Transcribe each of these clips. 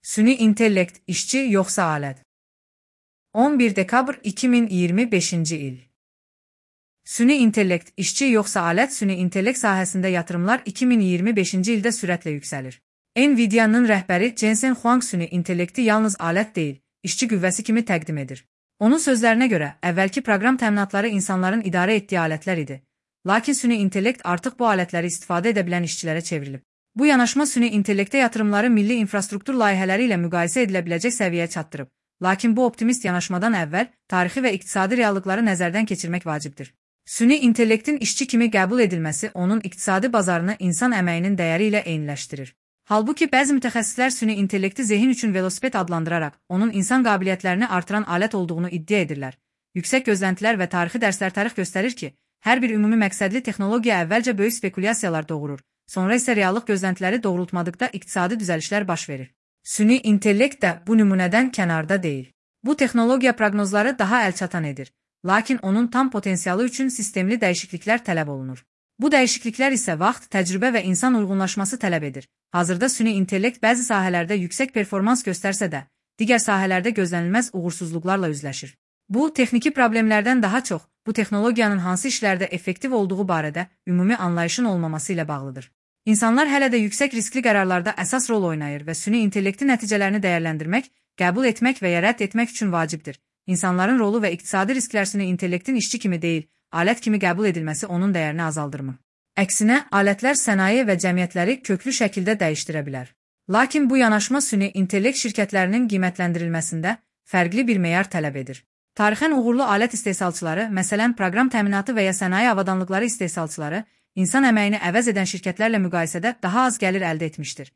Süni intellekt, işçi yoxsa alət? 11 dekabr 2025-ci il. Süni intellekt, işçi yoxsa alət? Süni intellekt sahəsində yatırımlar 2025-ci ildə sürətlə yüksəlir. Nvidia-nın rəhbəri Jensen Huang süni intellekti yalnız alət deyil, işçi qüvvəsi kimi təqdim edir. Onun sözlərinə görə, əvvəlki proqram təminatları insanların idarə etdiyi alətlər idi. Lakin süni intellekt artıq bu alətləri istifadə edə bilən işçilərə çevrilib. Bu yanaşma süni intellektə yatırımları milli infrastruktur layihələri ilə müqayisə edilə biləcək səviyyəyə çatdırıb. Lakin bu optimist yanaşmadan əvvəl tarixi və iqtisadi reallıqları nəzərdən keçirmək vacibdir. Süni intellektin işçi kimi qəbul edilməsi onun iqtisadi bazarını insan əməyinin dəyəri ilə eyniləşdirir. Halbuki bəzi mütəxəssislər süni intellekti zehin üçün velosiped adlandıraraq onun insan qabiliyyətlərini artıran alət olduğunu iddia edirlər. Yüksək gözləntilər və tarixi dərslər tarix göstərir ki, hər bir ümumi məqsədli texnologiya əvvəlcə böyük spekulyasiyalar doğurur, sonra isə reallıq gözləntiləri doğrultmadıqda iqtisadi düzəlişlər baş verir. Süni intellekt də bu nümunədən kənarda deyil. Bu texnologiya proqnozları daha əlçatan edir, lakin onun tam potensialı üçün sistemli dəyişikliklər tələb olunur. Bu dəyişikliklər isə vaxt, təcrübə və insan uyğunlaşması tələb edir. Hazırda süni intellekt bəzi sahələrdə yüksək performans göstərsə də, digər sahələrdə gözlənilməz uğursuzluqlarla üzləşir. Bu, texniki problemlərdən daha çox, bu texnologiyanın hansı işlərdə effektiv olduğu barədə ümumi anlayışın olmaması ilə bağlıdır. İnsanlar hələ də yüksək riskli qərarlarda əsas rol oynayır və süni intellektin nəticələrini dəyərləndirmək, qəbul etmək və ya rədd etmək üçün vacibdir. İnsanların rolu və iqtisadi risklər süni intellektin işçi kimi deyil, alət kimi qəbul edilməsi onun dəyərini azaldırmır. Əksinə, alətlər sənaye və cəmiyyətləri köklü şəkildə dəyişdirə bilər. Lakin bu yanaşma süni intellekt şirkətlərinin qiymətləndirilməsində fərqli bir meyar tələb edir. Tarixən uğurlu alət istehsalçıları, məsələn, proqram təminatı və ya sənaye avadanlıqları istehsalçıları, insan əməyini əvəz edən şirkətlərlə müqayisədə daha az gəlir əldə etmişdir.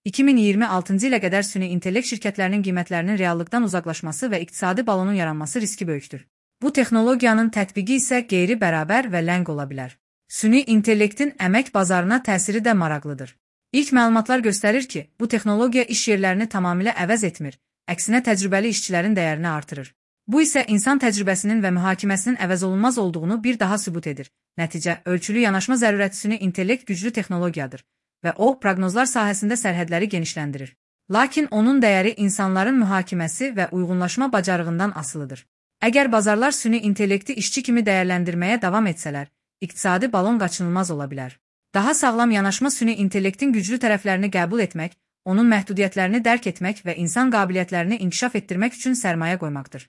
2026-cı ilə qədər süni intellekt şirkətlərinin qiymətlərinin reallıqdan uzaqlaşması və iqtisadi balonun yaranması riski böyükdür. Bu texnologiyanın tətbiqi isə qeyri-bərabər və ləng ola bilər. Süni intellektin əmək bazarına təsiri də maraqlıdır. İlk məlumatlar göstərir ki, bu texnologiya iş yerlərini tamamilə əvəz etmir, əksinə təcrübəli işçilərin dəyərini artırır. Bu isə insan təcrübəsinin və mühakiməsinin əvəzolunmaz olduğunu bir daha sübut edir. Nəticə, ölçülü yanaşma zərurəti süni intellekt güclü texnologiyadır və o, proqnozlar sahəsində sərhədləri genişləndirir. Lakin onun dəyəri insanların mühakiməsi və uyğunlaşma bacarığından asılıdır. Əgər bazarlar süni intellekti işçi kimi dəyərləndirməyə davam etsələr, iqtisadi balon qaçınılmaz ola bilər. Daha sağlam yanaşma süni intellektin güclü tərəflərini qəbul etmək, onun məhdudiyyətlərini dərk etmək və insan qabiliyyətlərini inkişaf etdirmək üçün sərmayə qoymaqdır.